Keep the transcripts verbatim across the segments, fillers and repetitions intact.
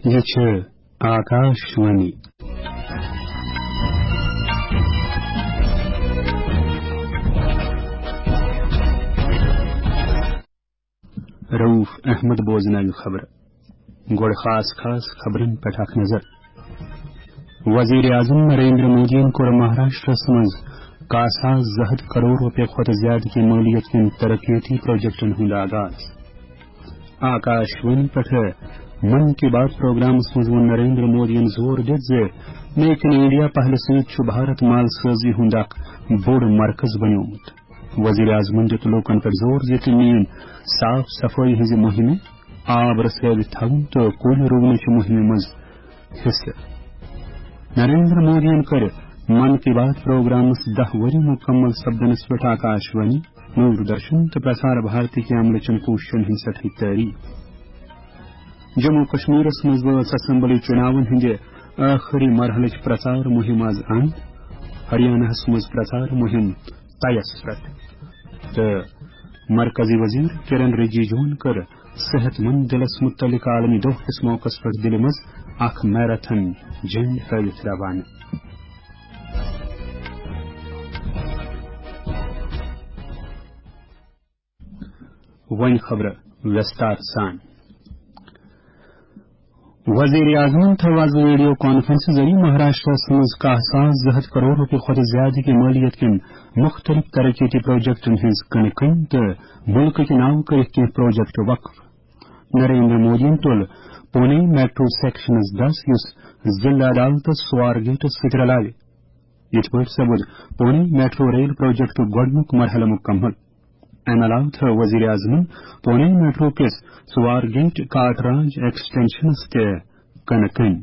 یہِ چھِ آکاش وانی۔ رؤف احمد بوزناوِ خبرٕ۔ گۄڈٕ خاص خاص خبرن پٮ۪ٹھ اکھ نظر۔ وزیر اعظم نریندر مودیَن کوٚر مہاراشٹرس منٛز کاہ ساس زٕ ہتھ کرور رۄپیہِ کھۄتہٕ زیادٕ کہِ مٲلیت کٮ۪ن ترقیتی پروجیکٹن ہُنٛد آغاز۔ آکاش وانی پٮ۪ٹھ من کی بات پروگرامس منٛز ووٚن نریندر مودیَن زور دِتھ زِ میک ان انڈیا پہلہِ سۭتۍ چھُ بھارت مال سٲزی ہُنٛد اکھ بوٚڑ مرکز بنیومُت۔ وزیر اعظمن دیُت لوٗکن پٮ۪ٹھ زور زِ تِم نِیِن صاف صفٲیی ہٕنٛزِ مُہِمہِ، آب رسٲوِتھ تھاوُن تہٕ کُلۍ رُونٕچہِ مُہِمہِ منٛز حصہٕ۔ نریندر مودیَن کٔر من کی بات پروگرامس دَہ ؤری مُکمل سپدنس پٮ۪ٹھ آکاش وانی، دوردرشن تہٕ پرسار بھارتی کہِ عملہٕ چٮ۪ن کوٗششن ہٕنٛز سٮ۪ٹھٕے تعریف۔ جموں کشمیرس منٛز وٲژ اسمبلی چُناون ہٕنٛدِ ٲخری مرحلٕچ پرچار مُہِم از اند۔ ہریاناہس منٛز پرچار مُہِم طیس پٮ۪ٹھ۔ تہٕ مرکزی وزیر کرن رجیجوَن کٔر صحت مند دِلس مُتعلق عالمی دۄہ کِس موقعس پٮ۪ٹھ دِلہِ منٛز اکھ میراتھن جٔنڈ ہٲوِتھ روانہٕ۔ وۄنۍ خبرٕ وِستار سان۔ وزیر اعظمن تھٲو از ویڈیو کانفرنس ذٔریعہٕ مہاراشٹرس منٛز کاہ ساس زٕ ہتھ کرور رۄپیہِ کھۄتہٕ زیادٕ کہِ مٲلیت کٮ۪ن مُختٔلِف ترقیتی پروجیکٹن ہٕنٛز کٕنہٕ کٕنۍ تہٕ مُلکٕکۍ ناو کٔرِکھ کینٛہہ پروجیکٹ وقف۔ نریندر مودیَن تُل پونے میٹرو سیکشنس دَس، یُس ضلع عدالتس سوار گیٹس سۭتۍ رلاوِ۔ یِتھ پٲٹھۍ سپُد پونے میٹرو ریل پروجیکٹُک گۄڈٕنیُک مرحلہٕ مُکمل۔ امہِ علاوٕ تھٲو وزیر اعظمن پونے میٹرو کِس سوار گیٹ کاٹ راج ایکسٹینشنس تہِ کٕنہٕ کٕنۍ۔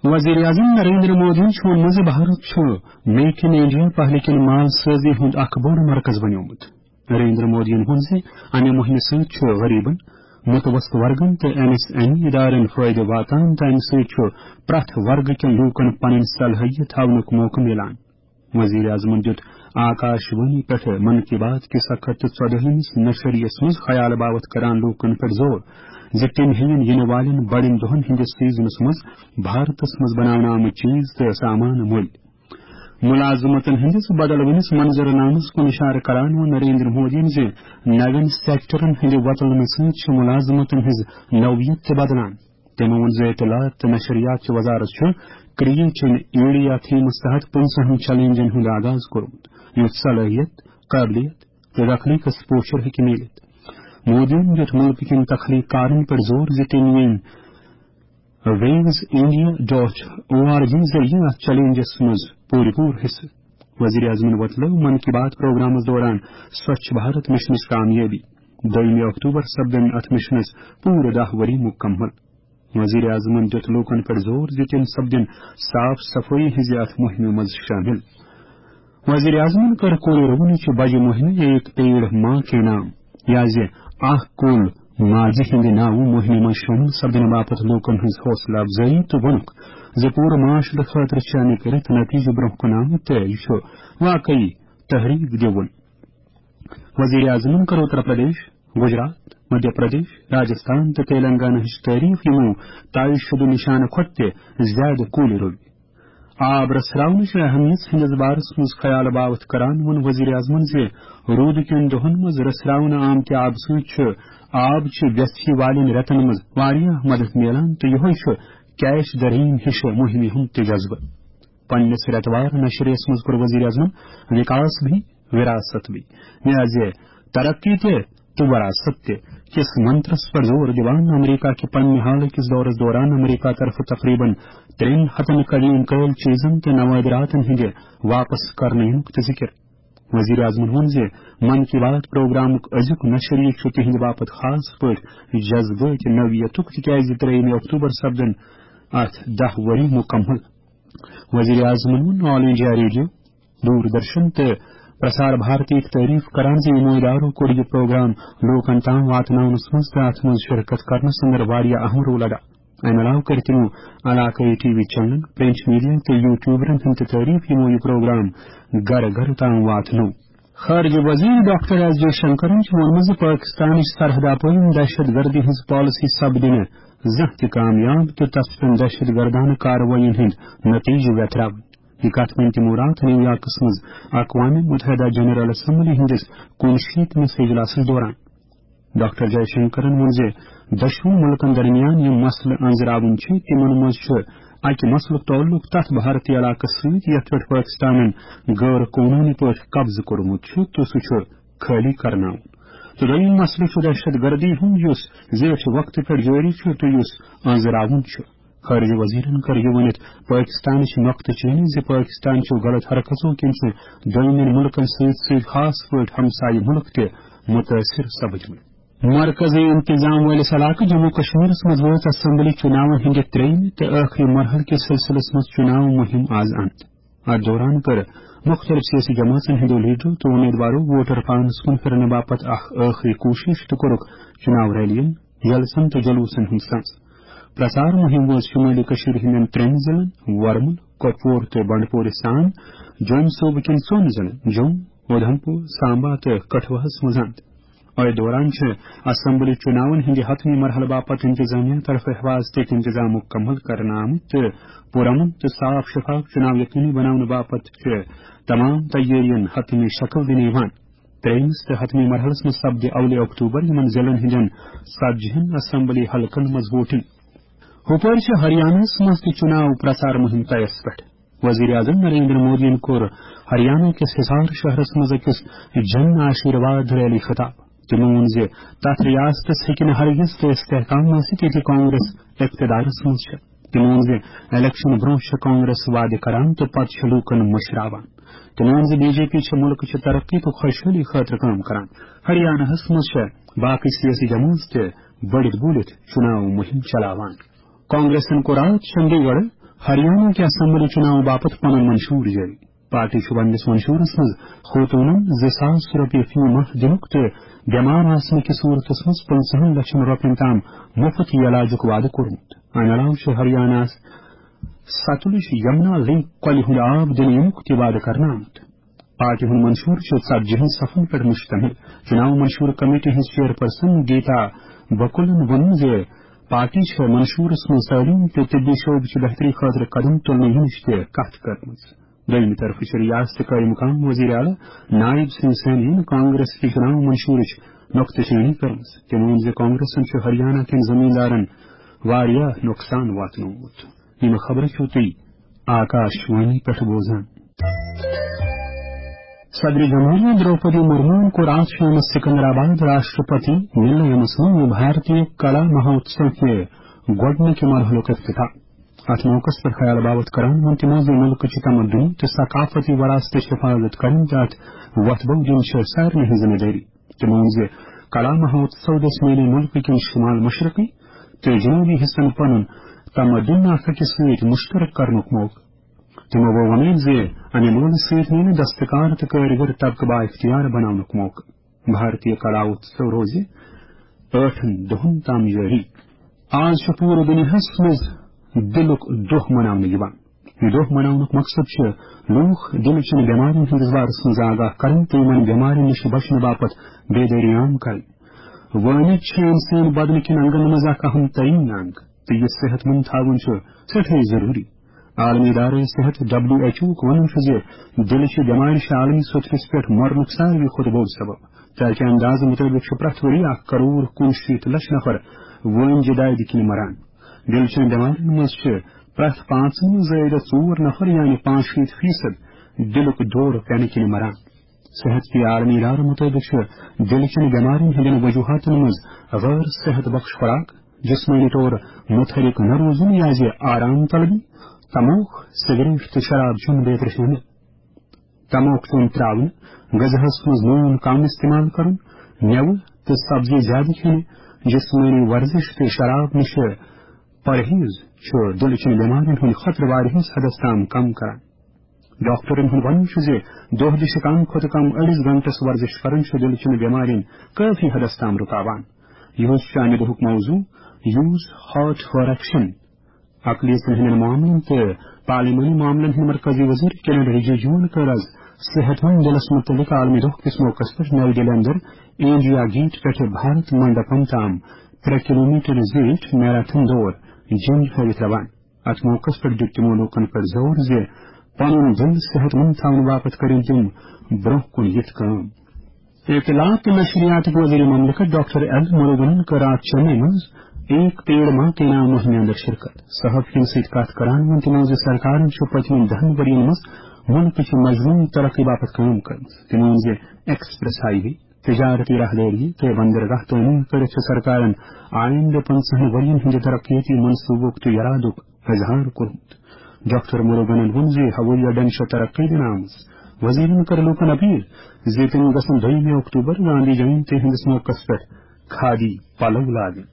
وزیر اعظم نریندر مودیَن چھُ ووٚنمُت زِ بھارت چھُ میک ان انڈیا پہلہِ کِنۍ مال سٲزی ہُنٛد اکھ بوٚڑ مرکز بنیومُت۔ نریندر مودیَن ووٚن زِ امہِ مُہِمہِ سۭتۍ چھُ غریبن، متوسط ورگن تہٕ ایم ایس ایم ای ادارن فٲیدٕ واتان تہٕ امہِ سۭتۍ چھُ پرٛٮ۪تھ ورگہٕ کٮ۪ن لوٗکن پنٕنۍ صلٲحیت ہاونُک موقعہٕ میلان۔ وزیر اعظمن دیُت آکاش وانی پٮ۪ٹھ من کی بات کِس اکھ ہتھ تہٕ ژۄدٲہمِس نشریس منٛز خیال باوتھ کران لوٗکن پٮ۪ٹھ زور زِ تِم ہیٚیِن یِنہٕ والٮ۪ن بڑٮ۪ن دۄہن ہٕنٛدِس سیزنس منٛز بھارتس منٛز بناونہٕ آمٕتۍ چیز تہٕ سامان مٔلۍ۔ ملازمتن ہٕنٛدِس بدلوٕنِس منظرنامس کُن اشارٕ کران ووٚن نریندر مودیَن زِ نوٮ۪ن سیکٹرن ہٕنٛدِ وۄتلنہٕ سۭتۍ چھِ ملازمتن ہٕنٛز نوعیت تہِ بدلان۔ تٔمۍ ووٚن زِ اطلاعات تہٕ نشریات چہِ وزارت چھُ کریٹ ان انڈیا تھیمس تحت پٕنٛژٕہن چیلنجن ہُنٛد آغاز کوٚرمُت، یُتھ صلٲحیت، قٲبلیت تہٕ تخلیقس پوچھر ہیٚکہِ میٖلِتھ۔ مودیَن دیُت مُلکہٕ کٮ۪ن تخلیق کارن پٮ۪ٹھ زور زِ تِم یِن views India dot O R G ذٔریعہٕ اتھ چیلنجس منٛز پوٗرٕ پوٗرٕ حصہٕ۔ وزیر اعظمن وۄتلٲو من کی بات پروگرامس دوران سوچھ بھارت مشنٕچ کامیٲبی۔ دوٚیمہِ اکتوبر سپدن اتھ مشنس پوٗرٕ دَہ ؤری مُکمل۔ وزیر اعظمن دیُت لوٗکن پٮ۪ٹھ زور زِ تِم سپدن صاف صفٲیی ہٕنٛزِ اتھ مُہِمہِ منٛز شٲمِل۔ وزیر اعظمن کٔر کُلۍ رُونٕچ بجہِ مُہِمہِ ایک پیڑ ماں کے نام، یا زِ اکھ کُل ماجہِ ہٕنٛدِ ناوٕ مُہِمہِ منٛز شٲمِل سپدنہٕ باپتھ لوٗکن ہٕنٛز حوصلہٕ افزٲیی تہٕ ووٚنُکھ زِ پوٗرٕ معاشرٕ خٲطرٕ چھِ اَمِکۍ رٕتۍ نتیجہٕ برٛونٛہہ کُن آمٕتۍ تہٕ یہِ چھُ واقعی تحریک دِوُن۔ وزیر اعظمن کٔر اتر پردیش، گجرات، مدھیہ پردیش، راجستھان تہٕ تیلنگانہ ہٕچ تعریف، یِمو طے شدٕ نشانہٕ کھۄتہٕ تہِ زیادٕ کُلۍ رُوۍ۔ آب رژھراونٕچ اہمیت ہٕنٛدِس بارس منٛز خیال باوتھ کران ووٚن وزیر اعظمن زِ روٗدٕ کٮ۪ن دۄہن منٛز رژھراونہٕ آمتہِ آبہٕ سۭتۍ چھُ آب چہِ ویژھِ والٮ۪ن رٮ۪تن منٛز واریاہ مدد میلان تہٕ یِہوٚے چھُ کیچ دی رین ہِش مُہِمہِ ہُنٛد تہِ جذبہٕ۔ پننِس رٮ۪توار نشریَس منٛز کوٚر وزیر اعظمن وکاس بھی وراثت بھی، یعنی زِ ترقی تہِ تہٕ وراثت تہِ کِس منترس پٮ۪ٹھ زور دِوان امریکہ کہِ پننہِ حالہٕ کِس دورس دوران امریکہ طرفہٕ تقریباً ترٛٮ۪ن ہتن قدیم قٲیل چیزن تہٕ نوادراتن ہٕنٛدِ واپس کرنہٕ یِنُک تہِ ذِکِر۔ وزیر اعظمن ووٚن زِ من کی بات پروگرامُک أزیُک نشریہِ چھُ تِہنٛدِ باپتھ خاص پٲٹھۍ جذبٲتۍ نوعیتُک، تِکیازِ ترٛیٚیِمہِ اکتوبر سپدن اتھ دَہ ؤری مُکمل۔ وزیر اعظمن ووٚن آل انڈیا ریڈیو، دوردرشن تہٕ پرسار بھارتیُک تعریف کران زِ یِمو ادارو کوٚر یہِ پروگرام لوٗکن تام واتناونس منٛز تہٕ اتھ منٛز شرکت کرنس اندر واریاہ اہم رول ادا۔ امہِ علاوٕ کٔر تِمو علاقٲیی ٹی وی چینلن، پرنٹ میڈیا تہٕ یوٹیوبرن ہُنٛد تہِ تعریف، یِمو یہِ پروگرام گرٕ گرٕ تام واتنوو۔ خارجہ وزیر ڈاکٹر ایس جے شنکرن چھُ ووٚنمُت زِ پٲکستانٕچ سرحد اپٲرۍ دہشت گردی ہٕنٛز پالیسی سپدِ نہٕ زانٛہہ تہِ کامیاب تہٕ تتھ پٮ۪ٹھ دہشت گردانہٕ کاروٲیین ہٕنٛدۍ نتیجہٕ ویتراوٕنۍ۔ یہِ کتھ ؤنۍ تِمو راتھ نیویارکس منٛز اقوام متحدہ جنرل اسمبلی ہٕنٛدِس کُنشیٖتمِس اجلاسس دوران۔ ڈاکٹر جے شنکرن ووٚن زِ دۄشوٕنی مُلکن درمیان یِم مسلہٕ أنٛزراوٕنۍ چھِ، تِمن منٛز چھُ اکہِ مسلُک تعلق تتھ بھارتی علاقس سۭتۍ، یتھ پٮ۪ٹھ پٲکستانن غٲر قونوٗنی پٲٹھۍ قبضہٕ کوٚرمُت چھُ تہٕ سُہ چھُ خٲلی کرناوُن۔ تہٕ دوٚیِم مسلہٕ چھُ دہشت گردی ہُنٛد، یُس زیٹھِ وقتہٕ پٮ۪ٹھ جٲری چھُ تہٕ یُس أنٛزراوُن چھُ۔ خارجہ وزیرن کٔر یہِ ؤنِتھ پٲکستانٕچ نۄقطہٕ چینی زِ پٲکستان چھُ غلط حرکژو کِنۍ چھِ دوٚیمٮ۪ن مُلکن سۭتۍ سۭتۍ خاص پٲٹھۍ ہمسایہِ مُلک تہِ مُتٲثِر سپدمٕتۍ۔ مرکزی انتظام وٲلِس علاقہٕ جموں کشمیرس منٛز وٲژ اسمبلی چُناون ہٕنٛدِ ترٛیٚیمہِ تہٕ ٲخری مرحلہٕ کِس سلسلس منٛز چُناو مُہِم آز انٛد۔ اتھ دوران کٔر مُختٔلِف سیٲسی جمٲژن ہٕنٛدیو لیڈرو تہٕ اُمیدوارو ووٹر پانس کُن پھِرنہٕ باپتھ اکھ ٲخری کوٗشش تہٕ کوٚرُکھ چُناو ریلین، جلسن تہٕ جلوسن ہُنٛد سنز۔ پرچار مُہِم وٲژ شُمٲلی کٔشیٖرِ ہٕنٛدٮ۪ن ترٛٮ۪ن ضلعن، ورمُل، کۄپوور تہٕ بنڈپورِ سان جوٚم صوبہٕ کٮ۪ن ژۄن ضلعن، جوٚم، اُدھمپور، سامبا تہٕ کٹھوہس منٛز انٛد۔ أتھۍ دوران چھِ اسمبلی چُناون ہٕنٛدِ حتمی مرحلہٕ باپتھ انتظامیہ طرفہٕ حفاظتی انتظام مُکمل کرنہٕ آمٕتۍ تہٕ پُرامن تہٕ صاف شفاف چُناو یقینی بناونہٕ باپتھ چھِ تمام تیٲرین حتمی شکل دِنہٕ یِوان۔ ترٛیٚیمِس تہٕ حتمی مرحلس منٛز سپدِ اولہِ اکتوبر یِمن ضلعن ہٕنٛدٮ۪ن ژتجی ہن اسمبلی حلقن منٛز ووٹنگ۔ ہُپٲرۍ چھِ ہریانہس منٛز تہِ چُناو پرچار مُہِم طیس پٮ۪ٹھ۔ وزیر اعظم نریندر مودیَن کوٚر ہریانہ کِس حصار شہرس منٛز أکِس جن آشیرواد ریلی خطاب۔ تِمو ووٚن زِ تتھ ریاستس ہیٚکہِ نہٕ ہرگز تہِ استحکام ٲسِتھ، ییٚتہِ کانگریس اقتدارس منٛز چھےٚ۔ تِمو ووٚن زِ الیکشن برونٛہہ چھےٚ کانگریس وعدٕ کران تہٕ پتہٕ چھِ لوٗکن مٔشراوان۔ تِمو ووٚن زِ بی جے پی چھےٚ مُلکہٕ چہِ ترقی تہٕ خۄشحٲلی خٲطرٕ کٲم کران۔ ہریانہس منٛز چھےٚ باقٕے سیٲسی جمٲژ تہِ بٔڑِتھ بوٗلِتھ چُناو مُہِم چلاوان۔ کانگریسن کوٚر راتھ چنڈی گڑھ ہریانہ کہِ اسمبلی چُناو باپتھ پنُن منشور جٲری۔ پارٹی چھُ پننِس منشورس منٛز خوتوٗنن زٕ ساس رۄپیہِ فی ماہ دِنُک تہٕ بٮ۪مار آسنہٕ کِس صوٗرتس منٛز پٕنٛژٕہن لچھن رۄپین تام مُفت علاجُک وعدٕ کوٚرمُت۔ امہِ علاوٕ چھُ ہریاناہس ستلج یمنا لنک کۄلہِ ہُنٛد آب دِنہٕ یِنُک تہِ وعدٕ کرنہٕ آمُت۔ پارٹی ہُنٛد منشور چھُ ژتجی ہن صفن پٮ۪ٹھ مشتمل۔ چُناو منشور کمیٹی ہٕنٛز چیئرپرسن گیتا بکلن ووٚن زِ پارٹی چھےٚ منشورس منٛز تعلیٖم تہٕ طبی شعبہٕ چہِ بہتری خٲطرٕ قدم تُلنہٕ یِنٕچ تہِ کتھ کٔرمٕژ۔ دوٚیمہِ طرفہٕ چھِ ریاست قٲیِم مقام وزیر اعلیٰ نائب سنگھ سینین کانگریس کہِ چُناو منشورٕچ نۄقطہٕ چینی کٔرمٕژ۔ تٔمۍ ووٚن زِ کانگریسن چھُ ہریانہ کٮ۪ن زمیٖندارن واریاہ نۄقصان واتنومُت۔ یِم خبرٕ چھِو تُہۍ آکاش وانی پٮ۪ٹھ بوزان۔ صدر جمہوریہ درٛوپدی مُرموٗہن کوٚر راتھ شامس سکندرآباد راشٹرپتی نِلَیمس منٛز بھارتیہ کلا مہوتسو کہِ گۄڈٕنِکہِ مرحلُک افتتاح۔ اتھ موقعس پٮ۪ٹھ خیال باوت کران ووٚن تِمو زِ مُلکٕچہِ تمدنی تہٕ ثقافتی وراثتٕچ حفاظت کرٕنۍ تہٕ اتھ وۄتھٕ بو دِنۍ چھِ سارنٕے ہٕنٛز ذمہٕ دٲری۔ تِمو ووٚن زِ کلا مہوتسو دِژ میٛانہِ مُلکہٕ کٮ۪ن شمال مشرقی تہٕ جنوبی حصن پنُن تمدن اکھ أکِس سۭتۍ مشترک کرنُک موقعہٕ۔ تِمو ووٚن وۄمید زِ امہِ مٲلہٕ سۭتۍ میلہِ دستکار تہٕ کٲرِگر طبقہٕ بااختیار بناونُک موقعہٕ۔ بھارتی کلا اتسو روزِ ٲٹھن دۄہن تام جٲری۔ آز چھُ پوٗرٕ دُنیاہس منٛز دِلُک دۄہ مناونہٕ یِوان۔ یہِ دۄہ مناونُک مقصد چھُ لوٗکھ دِلہٕ چٮ۪ن بٮ۪مارٮ۪ن ہٕنٛدِس بارس منٛز آگاہ کرٕنۍ تہٕ یِمن بٮ۪مارٮ۪ن نِش بچنہٕ باپتھ بیدٲری عام کرٕنۍ۔ وٲمِج چھِ انسٲنی بدنہٕ کٮ۪ن انگن منٛز اکھ اہم ترین انگ تہٕ یہِ صحت مند تھاوُن چھُ سٮ۪ٹھاہ ضروٗری۔ عالمی ادارٕ صحت ڈبلیو ایچ او وُک وَنُن چھُ زِ دِلہٕ چہِ بٮ۪مارِ چھِ عالمی سطحس پٮ۪ٹھ مرنُک ساروی کھۄتہٕ بوٚڑ سبب۔ تازٕ اندازٕ مُطٲبِق چھُ پرٛٮ۪تھ ؤری اکھ کرور کُنشیٖتھ لچھ نفر وٲنجہِ دادِ کِنۍ مران۔ دِلہٕ چٮ۪ن بٮ۪مارٮ۪ن منٛز چھِ پرٛٮ۪تھ پانٛژن منٛز زٲیدٕ ژور نفر، یعنی پانٛژشیٖتھ فیصد، دِلُک دورٕ پٮ۪نہٕ کِنۍ مران۔ صحت کہِ عالمی ادارٕ مُطٲبِق چھُ دِلہٕ چٮ۪ن بٮ۪مارٮ۪ن ہٕنٛدٮ۪ن وجوہاتن منٛز غٲر صحت بخش خوراک، جسمٲنی طور متحرک نہ روزُن یا زِ آرام طلبی، تموک، سگریٹ تہٕ شراب چیوٚن بیترِ شٲمِل۔ تموک چیوٚن ترٛاوُن، غذاہس منٛز نوٗن کم استعمال کرُن، مٮ۪وٕ تہٕ سبزی زیادٕ کھیٚنہِ، جسمٲنی ورزش تہٕ شراب نِشہِ پرہیز چھُ دِلہٕ چٮ۪ن بٮ۪مارٮ۪ن ہُنٛد خطرٕ واریاہس حدس تام کم کران۔ ڈاکٹرن ہُنٛد وَنُن چھُ زِ دۄہ دِشہِ کم کھۄتہٕ کم أڑِس گھنٹس ورزش کرُن چھُ دِلہٕ چٮ۪ن بٮ۪مارٮ۪ن کٲفی حدس تام رُکاوان۔ یِہُس چھُ اَمہِ دۄہُک موضوع، Use Heart for Action۔ اقلیتن ہٕنٛدٮ۪ن معاملن تہٕ پارلیمانی معاملن ہٕنٛدۍ مرکزی وزیر کِرن رِجیجوَن کٔر آز صحت مند دِلس مُتعلق عالمی دۄہ کِس موقعس پٮ۪ٹھ نَوِ دِلہِ اندر انڈیا گیٹ پٮ۪ٹھٕ بھارت منڈپم تام ترٛےٚ کلومیٹر زیٖٹھ میراتھن دور جیٚمۍ ہٲوِتھ روان۔ اتھ موقعس پٮ۪ٹھ دیُت تِمو لوٗکن پٮ۪ٹھ زور زِ پنُن دِل صحت مند تھاونہٕ باپتھ کٔرِو تِم برٛونٛہہ کُن یِتھ کٲم۔ اطلاعات تہٕ نشریاتٕکۍ وزیر مملکت ڈاکٹر ایل مروگنن کٔر راتھ چنئی منٛز ایک پیڑ ماں کے نام مہمہِ اندر شرکت۔ صحافین سۭتۍ کتھ کران ووٚن تِمو زِ سرکارن چھُ پٔتمٮ۪ن دہن ؤرین منٛز مُلکٕچہِ مجموعی ترقی باپتھ کٲم کٔرمٕژ۔ تِمو ووٚن زِ ایکسپریس ہائی وے، تجارتی راہدٲری تہٕ بندرگاہ تعمیٖر کٔرِتھ چھِ سرکارن آیندٕ پنٛژاہن ؤرین ہٕنٛدِ ترقیتی منصوبُک تہٕ یرادُک اظہار کوٚرمُت۔ ڈاکٹر مروگنن ووٚن زِ ہوٲیی اڈن چھِ ترقی دِنہٕ آمٕژ۔ وزیرن کٔر لوٗکن اپیل زِ تِم گژھن دوٚیمہِ اکتوبر گاندھی جینتی ہٕنٛدِس موقعس پٮ۪ٹھ کھادی پلو لاگٕنۍ۔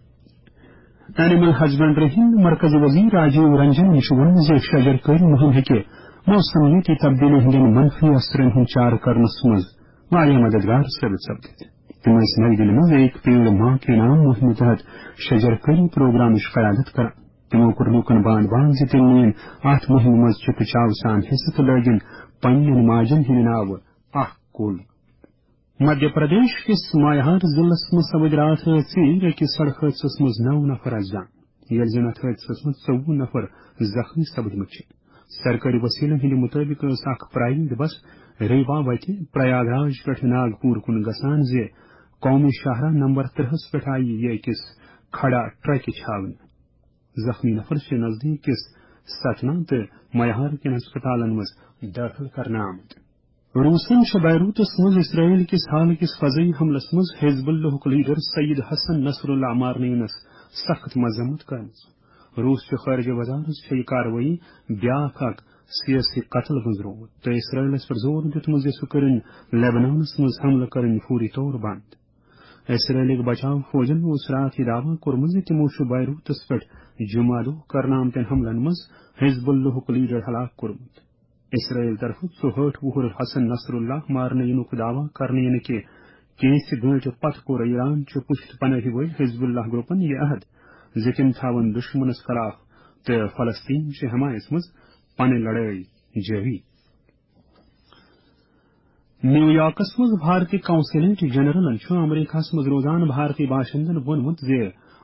اینیمل ہسبنڈری ہٕنٛدۍ مرکزی وزیر راجیو رنجنن چھُ ووٚنمُت زِ شجر کٲری مُہِم ہیٚکہِ موسمیٲتی تبدیلی ہٕنٛدٮ۪ن منفی اثرن ہُنٛد چارٕ کرنس منٛز واریاہ مددگار ثٲبت سپدِتھ۔ تِم ٲسۍ نَیہِ دِلہِ منٛز ایک پیڑ ماں کے نام مُہِمہِ تحت شجر کٲری پروگرامٕچ قیادت کران۔ تِمو کوٚر لوٗکن بانٛد بانٛد زِ تِم نِیِن اَتھ مُہِمہِ منٛز چِکہٕ چاوٕ سان حصہٕ تہٕ لٲگِن پننٮ۪ن ماجن ہٕنٛدِ ناوٕ اکھ کُل۔ مدھیہ پردیش کِس مایہار ضلعس منٛز سپٕدۍ راتھ ژیٖرۍ أکِس سڑک حٲدثس منٛز نَو نفر اَسہِ جان، ییٚلہِ زن اَتھ حٲدثس منٛز ژوٚوُہ نفر زخمی سپٕدمٕتۍ چھِ۔ سرکٲری وسیلن ہٕنٛدِ مُطٲبِق ٲس اکھ پرائیویٹ بس ریوا وتہِ پریاگ راج پٮ۪ٹھ ناگپور کُن گژھان زِ قومی شاہراہ نمبر ترٛہَس پٮ۪ٹھ آیہِ یہِ أکِس کھڑا ٹرکہِ چھاونہٕ۔ زخمی نفر چھِ نزدیٖک کِس ستنا تہٕ میہار کٮ۪ن ہسپتالن منٛز دٲخل کرنہٕ آمٕتۍ۔ روٗسن چھِ بیروتس منٛز اسرائیل کِس حال کِس فضائی حملس منٛز حزب اللہُک لیڈر سید حسن نصر اللہ مارنہٕ یِنس سخت مذمت کٔرمٕژ۔ روٗس چہِ خارجہ وزارت چھےٚ یہِ کاروٲیی بیاکھ اکھ سیٲسی قتل گٔنٛزرومُت تہٕ اسرائیلس پٮ۪ٹھ زور دیُتمُت زِ سُہ کٔرِن لیبنانس منٛز حملہٕ کٔرٕنۍ فوری طور بنٛد۔ اسرائیلٕکۍ بچاو فوجن اوس راتھ یہِ دعویٰ کوٚرمُت زِ تِمو چھُ بیروتس پٮ۪ٹھ جمعہ دۄہ کرنہٕ آمتٮ۪ن حملن منٛز حزب اللہُک لیڈر ہلاک کوٚرمُت۔ اسرائیل طرفہٕ ژُہٲٹھ وُہُر حسن نصر اللہ مارنہٕ یِنُک دعویٰ کرنہٕ یِنہٕ کہِ کینٛژِ گٲنٛٹہِ پتہٕ کوٚر ایران چہِ پُشت پناہی وٲلۍ حزب اللہ گروپن یہِ عہد زِ تِم تھاون دُشمنس خلاف تہٕ فلسطین چہِ حمایس منٛز پنٕنۍ لڑٲے جٲری۔ نیویارکس منٛز بھارتی قونصلیٹ جنرلن چھُ امریکہس منٛز روزان بھارتی باشندن ووٚنمُت زِ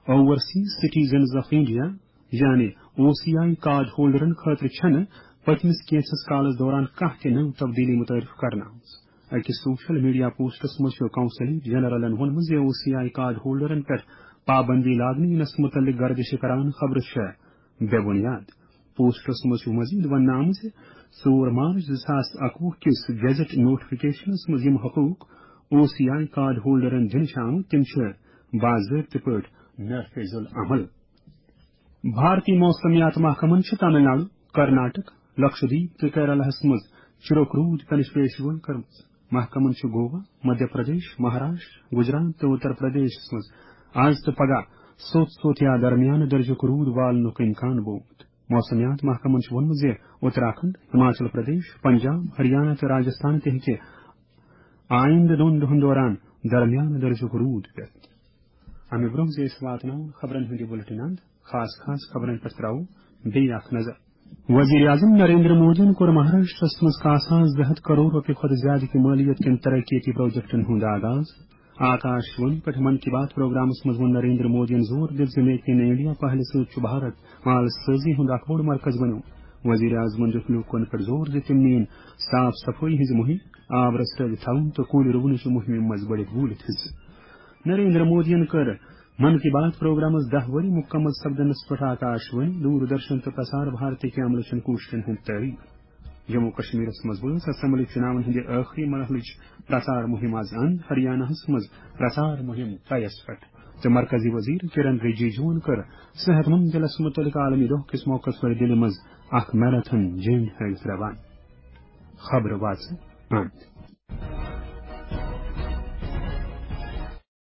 اوورسیز سٹیزنز آف انڈیا، یعنی او سی آئی کارڈ ہولڈرن خٲطرٕ چھنہٕ پٔتمِس کینٛژھس کالس دوران کانٛہہ تہِ نٔو تبدیلی متعارف کرنہٕ آمٕژ۔ أکِس سوشل میڈیا پوسٹس منٛز چھُ قونصلیٹ جنرلن ووٚنمُت زِ او سی آئی کارڈ ہولڈرن پٮ۪ٹھ پابندی لاگنہٕ یِنس مُتعلق گردش کران خبرٕ چھےٚ بے بنیاد۔ پوسٹس منٛز چھُ مزید وننہٕ آمُت زِ ژور مارچ زٕ ساس اَکوُہ کِس گیزٹ نوٹیفکیشنس منٛز یِم حقوق او سی آئی کارڈ ہولڈرن دِنہٕ چھِ آمٕتۍ، تِم چھِ باضٲبطہٕ پٲٹھۍ نافذ العمل۔ بھارتی موسمیات محکمن چھِ تامل ناڈو، کرناٹک، لکشدیپ تہٕ کیرالہس منٛز چِرُک روٗد پینٕچ پیش گویی کٔرمٕژ۔ محکمن چھُ گوا، مدھیہ پردیش، مہاراشٹر، گجرات تہٕ اتر پردیشس منٛز آز تہٕ پگاہ سوٚت سوٚت یا درمیانہٕ درجُک روٗد والنُک امکان بوومُت۔ موسمیات محکمن چھُ ووٚنمُت زِ اتراکھنڈ، ہماچل پردیش، پنجاب، ہریانہ تہٕ راجستھان تہِ ہیٚکہِ آیندٕ دۄن دۄہن دوران درمیانہٕ درجُک روٗد پٮ۪تھ۔ امہِ برٛونٛہہ زِ أسۍ واتناوو خبرن ہُنٛد یہِ بُلٹن اند، خاص خاص خبرن پٮ۪ٹھ ترٛاوو بیٚیہِ اکھ نظر۔ وزیر اعظم نریندر مودیَن کوٚر مہاراشٹرس منٛز کاساس زٕ ہَتھ کرور رۄپیہِ کھۄتہٕ زیادٕ کہِ مٲلیت کٮ۪ن ترقیتی پروجیکٹن ہُنٛد آغاز۔ آکاش وانی پٮ۪ٹھ من کی بات پروگرامس منٛز ووٚن نریندر مودیَن زور دِتھ زِ میک ان انڈیا پہلہِ سۭتۍ چھُ بھارت مال سٲزی ہُنٛد اکھ بوٚڑ مرکز بنیومُت۔ وزیر اعظمن دیُت لوٗکن پٮ۪ٹھ زور زِ تِم نِیِن صاف صفٲیی ہٕنٛز مُہِم، آب رژھرٲوِتھ تھاوُن تہٕ کُلۍ رُونٕچہِ مُہِمہِ منٛز بٔڑِتھ بوٗلِتھ حصہٕ۔ نریندر مودیَن کٔر من کی بات پروگرامس دَہ ؤری مُکمل سپدنس پٮ۪ٹھ آکاش وانی، دوردرشن تہٕ پرسار بھارتی کہِ عملہٕ چٮ۪ن کوٗششن ہُنٛد تعریف۔ جموں کشمیرس منٛز وٲژ اسمبلی چُناون ہٕنٛدِ ٲخری مرحلٕچ پرسار مُہِم آز اند۔ ہریاناہس منٛز پرسار مُہِم طیس پٮ۪ٹھ تہٕ مرکزی وزیر کرن رجیجوَن کٔر صحت مند دِلس مُتعلق عالمی دۄہ کِس موقعس پٮ۪ٹھ دِلہِ منٛز اکھ میراتھن جٔنگ ہٲوِتھ روانہٕ۔ خبرٕ واژٕ اند۔